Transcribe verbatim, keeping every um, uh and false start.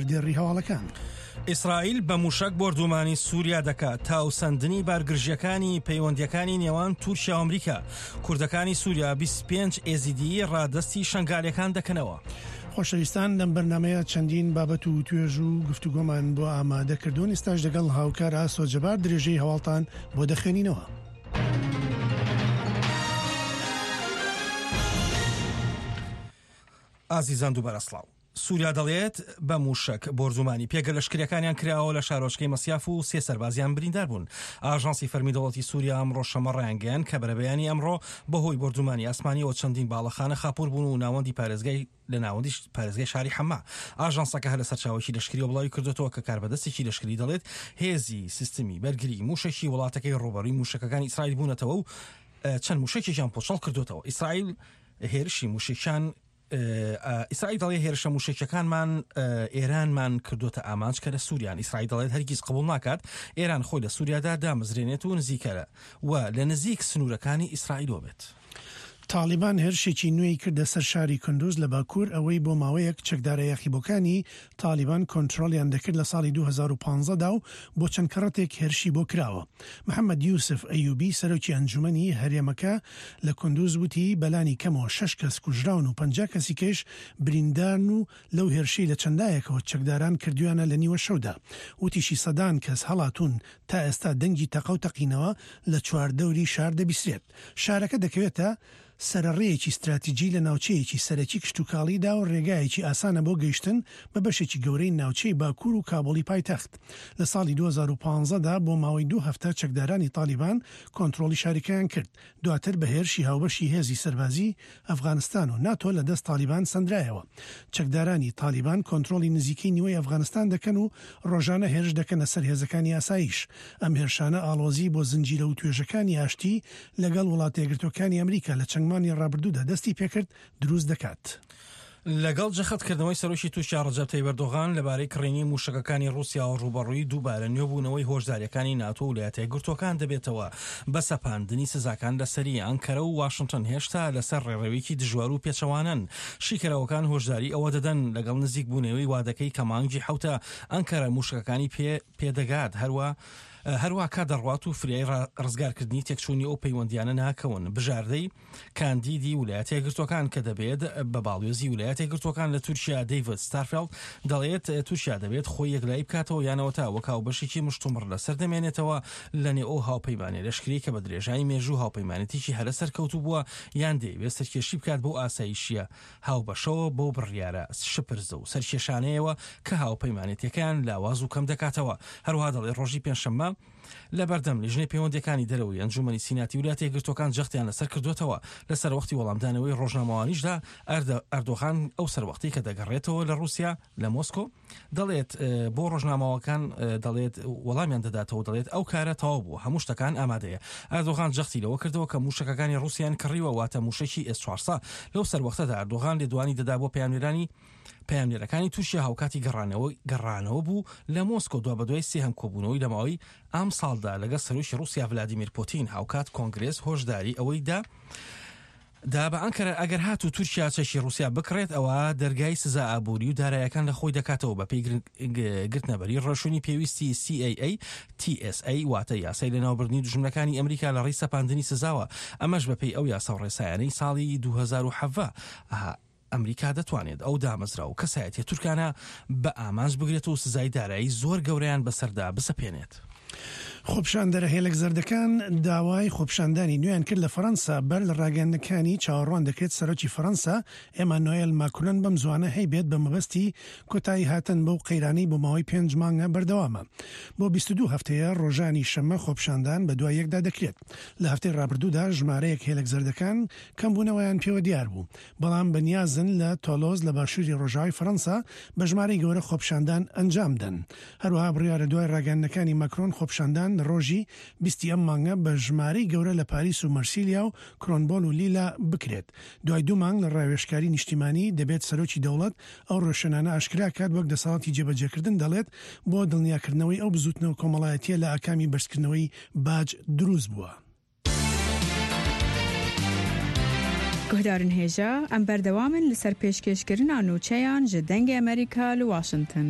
سەردێڕی هەواڵەکان. ئیسرائیل بە موشەک بۆردومانی سووریا دەکات تاوسەندنی بارگرژیەکانی پەیوەندیەکانی نێوان تورکیا و ئەمریکا. کوردەکانی سووریا بیست و پێنج ئێزیدی ڕادەستی شەنگالەکان دەکەنەوە. خۆشەویستان، لەم بەرنمەیە چەندین بابەت و توێژ و گفتوگۆمان بۆ ئامادەکردوون. ئێستاش لەگەڵ هاوکار ئاسۆ جەبار درێژەی هەواڵتان بۆ دەخوێنینەوە. ئازیزان دووبارە سڵاو. سووریا دەڵێت بە موشەک بۆردومانی پێگە لەشکریەکانیان کراوە لە شارۆچکەی مەسیاف و سێ سەربازیان بریندار بوون. ئاژانسی فەرمی دەوڵەتی سووریا ئەمڕۆ شەممە ڕایانگەیاند کە بەرەبەیانی ئەمڕۆ بەهۆی بۆردومانی ئاسمانیەوە چەندین باڵەخانە خاپوور بوون و ناوەندی پارێزگای لە ناوەندی پارێزگای شاری حەما. ئاژانسەکە هەر لە سەرچاوەکی لەشکریەوە بڵاوی کردوێتەوە کە کاربەدەستێکی لەشکری دەڵێت هێزی سیستمی بەرگری موشەکی وڵاتەکەی ڕووبەڕووی موشەکەکانی ئیسرائیل بوونەتەوە و چەند موشەکێکیان پۆچەڵ کردوێتەوە. ئیسرائیل هێرشی موشەکیان ئیسرائیل دەڵێ هێرشە موشەکیەکانمان ئێرانمان کردوتە ئامانج کە لە سووریان. ئیسرائیل دەڵێت هەرگیز قبول ناکات ئێران خۆی لە سووریادا دامەزرێنێت و نزیکەرە و لە نزیک سنوورەکانی ئیسرائیلەوە بێت. تاڵیبان هێرشێکی نوێی کردە سەر شاری کندوز لە باکوور، ئەوەی بۆ ماوەیەک چەکدارە یاخیبووەکانی تاڵیبان کۆنترۆڵیان دەکرد لە ساڵی دوو هەزار و پازدە دا و بۆ چەند کەڕەتێک هێرشی بۆ کراوە. محەممەد یوسف ئەیوبی سەرۆکی ئەنجومەنی هەرێمەکە لە کندوز وتی بەلانی کەمەوە شەش کەس کوژراون و پەنجا کەسی کەش بریندارن و لەو هێرشەی لە چەندایەکەوە چەکداران کردویانە لە نیوە شەودا. وتیشی سەدان کەس هەڵاتوون تا ئێستا دەنگی تەقە و تەقینەوە لە چواردەوری شار دەبیسرێت. شارەکە دەکەوێتە سەرڕێیەکی استراتیجی لە ناوچەیەکی سەرەکی کشتتوکاڵیدا و ڕێگایەکی ئاسانە بۆ گەیشتن بە بەشێکی گەورەی ناوچەی باکوور و کابولی پایتەخت. لە ساڵی دوو هەزار و پازدە دا بۆ ماوەی دوو هەفتە چەکدارانی تالیبان کۆنترۆڵی شارەکەیان کرد. دواتر بە هێرشی هاوبەشی هێزی سەربازی ئەفغانستان و ناتۆ لە دەست تالیبان سەندرایەوە. چەکدارانی تالیبان کۆنترۆڵی نزیکەی نیوەی ئەفغانستان دەکەن و ڕۆژانە هێرش دەکەنە سەر هێزەکانی ئاسایش. ئەم هێرشانە ئاڵۆزی بۆ زنجیرە و توێژەکانی ئاشتی لەگەڵ وڵاتە یەکگرتووەکانی ئەمریکا لە چەند مانگی ڕابردوودا دەستی پێکرد دروست دەکات. لەگەڵ جەختکردنەوەی سەرۆکی تورکیا ڕەجەب تەیب ئەردۆغان لەبارەی کڕینی موشەکەکانی ڕووسیاوە ڕووبەڕووی دووبارە نوێبوونەوەی هۆشداریەکانی ناتۆ و ویلایەتە یەکگرتووەکان دەبێتەوە بە سەپاندنی سزاکان لەسەری ئەنکەرە و واشنگتن هێشتا لەسەر ڕێڕەوێکی دژوار و پێچەوانەن. شیکەرەوەکان هۆشداری ئەوە دەدەن لەگەڵ نزیکبوونەوەی وادەکەی کە مانگی حەوتە ئەنکەرە موشەکەکانی پێ پێدەگات هەروە هەروە کات دەڕوات و فریای ڕزگارکردنی تێکچوونی ئەو پەیوەندیانە ناکەون. بژاردەی کاندیدی ویلایەتە یەکگرتووەکان کە دەبێت بە باڵیۆزی ویلایەتە یەکگرتووەکان لە تورکیا دەیڤد ستارفێڵد دەڵێت تورکیا دەبێت خۆی یەکلایی بکاتەوە یانەوە تا وەک هاوبەشێکی مشتومڕ لەسەر دەمێنێتەوە لە نێو ئەو هاوپەیمانێ لەشکری کە بە درێژایی مێژوو هاوپەیمانێتێکی هەرە سەرکەوتوو بووە یان دەیەوێت سەرکێشی بکات بۆ ئاسایشیە هاوبەشەوە بەو بڕیارە شپرزە و سەرکێشانەیەوە کە هاوپەیمانێتەکەیان لاواز و کەم دەکاتەوە. هەروەها دەڵێت ڕۆژی پێنجشەممە لە بەردەم لیژنەی پەیوەندیەکانی دەرەوەی ئەنجومەنی سیناتی ویلایەتە یەکگرتووەکان جەختیان لەسەر کردوێتەوە. لە سەروەختی وەڵامدانەوەی ڕۆژنامەوانیشدا ئەردۆغان ئەو سەروەختی کە دەگەڕێتەوە لە ڕووسیا لە مۆسکۆ دەڵێت بۆ ڕۆژنامەوەکان دەڵێت وەڵامیان دەداتەوە دەڵێت ئەو کارە تەواو بوو هەموو شتەکان ئامادەیە. ئەردۆغان جەختی لەوە کردەوە کە موشەکەکانی ڕووسیان کڕیوە واتە موشەکی ئێس چوارسەد. لەو سەروەختەدا ئەردۆغان لێدوانی دەدا بۆ پەیامنێرانی پەیامنێرەکانی تورکیا هاوکاتی گەڕانەوە گەڕانەوە بوو لە مۆسکۆ دوا بەدوای سێهەم کۆبوونەوەی لە ماوەی ئەم ساڵدا لەگەڵ سەرۆکی ڕووسیا ڤلادیمیر پوتین. هاوکات کۆنگرێس هۆشداری ئەوەی دا دا بە ئەنکەرە ئەگەر هاتوو تورکیا چەکی ڕووسیا بکڕێت ئەوە دەرگای سزا ئابووری و دارایەکان لە خۆی دەکاتەوە بە پێی گرتنەبەری ڕێوشوێنی پێویستی سی ئەی ئەی تی ئێس ئەی واتە یاسای لەناوبردنی دوژمنەکانی ئەمریکا لە ڕێی سەپاندنی سزاوە. ئەمەش بەپێی ئەو یاسا و ڕێسایانەی ساڵی دوو هەزار و حەڤدە ئەمریکا دەتوانێت ئەو دامەزرا و کەسایەتیە تورکانە بە ئامانج بگرێت و سزای دارایی زۆر گەورەیان بەسەردا بسەپێنێت. خۆپشاندەرە هێلک زەردەکان داوای خۆپشاندانی نوێیان کرد لە فەرەنسا بەر لە ڕاگەیاندنەکانی چاوەڕوان دەکرێت سەرۆکی فەرەنسا ئێمانوێل ماکرۆن بەم زوانە هەیبێت بە مەبەستی کۆتایی هاتن بەو قەیرانەی بۆ ماوەی پێنج مانگە بەردەوامە. بۆ بیست و دوو هەفتەیە ڕۆژانی شەممە خۆپشاندان بە دوای یەکدا دەکرێت. لە هەفتەی ڕابردوودا ژمارەیەک هێلک زەردەکان کەمبوونەوەیان پێوە دیار بوو، بەڵام بەنیازن لە تۆلۆز لە باشووری ڕۆژاوای فەرەنسا بە ژمارەی گەورە خۆپشاندان ئەنجام دەن. هەروەها بڕیارە دوای ڕاگەیاندنەکانی ماکرۆن خۆپشاندان لە ڕۆژی بیستی ئەم مانگە بە ژمارەی گەورە لە پاریس و مەرسیلیا و کرۆنبۆل و لیلا بکرێت. دوای دوو مانگ لە ڕاوێژکاری نیشتیمانی دەبێت سەرۆکی دەوڵەت ئەو ڕێوشوێنانە ئاشکرا کات وەک دەسەڵاتی جێبەجێکردن دەڵێت بۆ دڵنیاکردنەوەی ئەو بزوتنەوە کۆمەڵایەتیە لە ئاکامی بەرزکردنەوەی باج دروست بووە. گوهدارن هێژا ئەم بەردەوامن لەسەر پێشکێشکردنا نوچەیان ji دەنگê ئەمریکا لە واشنگتن.